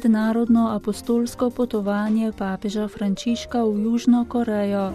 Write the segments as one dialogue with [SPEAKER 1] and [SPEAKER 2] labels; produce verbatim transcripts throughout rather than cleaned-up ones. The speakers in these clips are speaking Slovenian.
[SPEAKER 1] mednarodno apostolsko potovanje papeža Frančiška v Južno Korejo.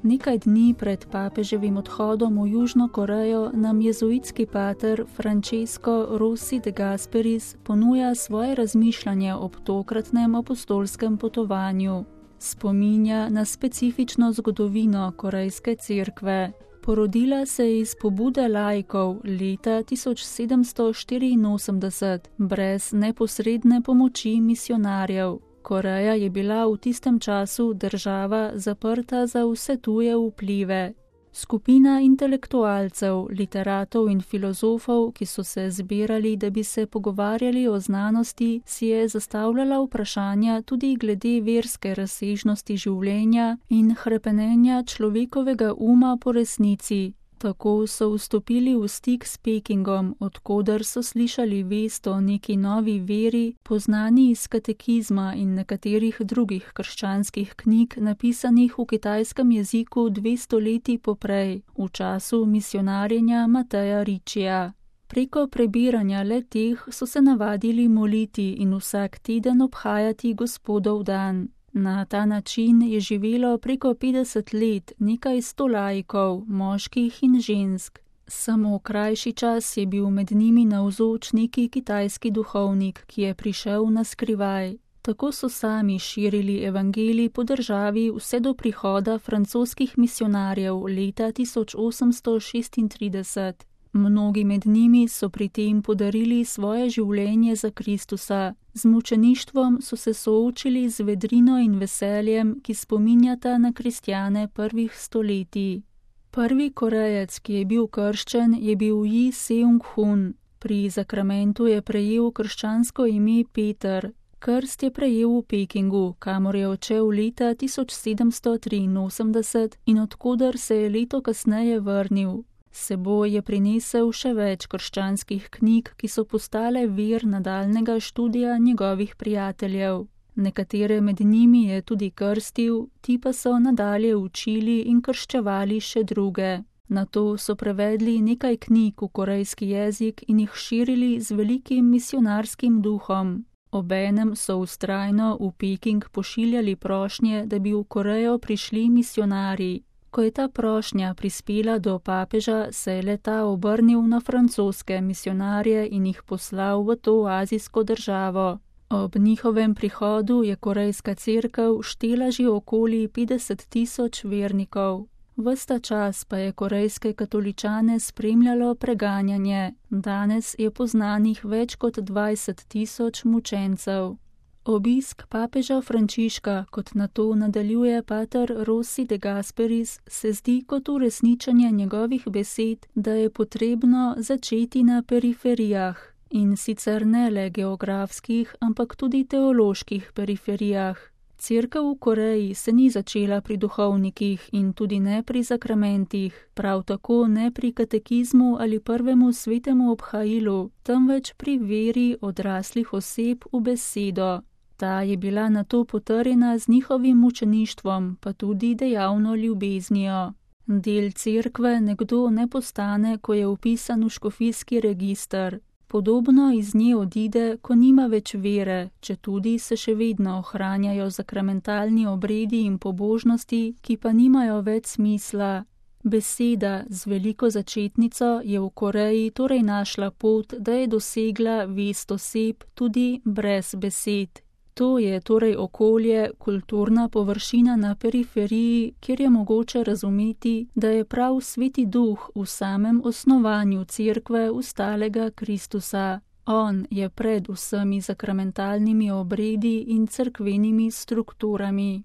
[SPEAKER 1] Nekaj dni pred papeževim odhodom v Južno Korejo nam jezuitski pater Francesco Rossi de Gasperis ponuja svoje razmišljanje ob tokratnem apostolskem potovanju. Spominja na specifično zgodovino Korejske cerkve. Porodila se je iz pobude laikov leta tisoč sedemsto štiriinosemdeset brez neposredne pomoči misionarjev. Koreja je bila v tistem času država zaprta za vse tuje vplive. Skupina intelektualcev, literatov in filozofov, ki so se zbirali, da bi se pogovarjali o znanosti, si je zastavljala vprašanja tudi glede verske razsežnosti življenja in hrepenenja človekovega uma po resnici. Tako so vstopili v stik s Pekingom, odkoder so slišali vest o neki novi veri, poznani iz katekizma in nekaterih drugih krščanskih knjig, napisanih v kitajskem jeziku dve stoletji poprej, v času misionarjenja Mateja Riccija. Preko prebiranja le-teh so se navadili moliti in vsak teden obhajati Gospodov dan. Na ta način je živelo preko petdeset let nekaj sto laikov, moških in žensk. Samo krajši čas je bil med njimi navzoč neki kitajski duhovnik, ki je prišel na skrivaj. Tako so sami širili evangelij po državi vse do prihoda francoskih misionarjev leta tisoč osemsto šestintrideset. Mnogi med njimi so pri tem podarili svoje življenje za Kristusa. Z mučeništvom so se soočili z vedrino in veseljem, ki spominjata na kristjane prvih stoletij. Prvi Korejec, ki je bil krščen, je bil Ji Seung-hun. Pri zakramentu je prejel krščansko ime Peter. Krst je prejel v Pekingu, kamor je odšel leta tisoč sedemsto triinosemdeset in odkoder se je leto kasneje vrnil. S seboj je prinesel še več krščanskih knjig, ki so postale vir nadaljnega študija njegovih prijateljev. Nekatere med njimi je tudi krstil, ti pa so nadalje učili in krščevali še druge. Nato so prevedli nekaj knjig v korejski jezik in jih širili z velikim misionarskim duhom. Obenem so vztrajno v Peking pošiljali prošnje, da bi v Korejo prišli misionarji. Ko je ta prošnja prispela do papeža, se je le-ta obrnil na francoske misionarje in jih poslal v to azijsko državo. Ob njihovem prihodu je korejska cerkev štela že okoli petdeset tisoč vernikov. Ves ta čas pa je korejske katoličane spremljalo preganjanje. Danes je poznanih več kot dvajset tisoč mučencev. Obisk papeža Frančiška, kot na to nadaljuje pater Rossi de Gasperis, se zdi kot uresničenje njegovih besed, da je potrebno začeti na periferijah, in sicer ne le geografskih, ampak tudi teoloških periferijah. Cerkev v Koreji se ni začela pri duhovnikih in tudi ne pri zakramentih, prav tako ne pri katekizmu ali prvemu svetemu obhajilu, temveč pri veri odraslih oseb v besedo. Ta je bila nato potrjena z njihovim mučeništvom, pa tudi dejavno ljubeznijo. Del cerkve nekdo ne postane, ko je vpisan v škofijski register. Podobno iz nje odide, ko nima več vere, četudi se še vedno ohranjajo zakramentalni obredi in pobožnosti, ki pa nimajo več smisla. Beseda z veliko začetnico je v Koreji torej našla pot, da je dosegla vest oseb tudi brez besed. To je torej okolje, kulturna površina na periferiji, kjer je mogoče razumeti, da je prav Sveti Duh v samem osnovanju cerkve ustalega Kristusa. On je pred vsemi zakramentalnimi obredi in cerkvenimi strukturami.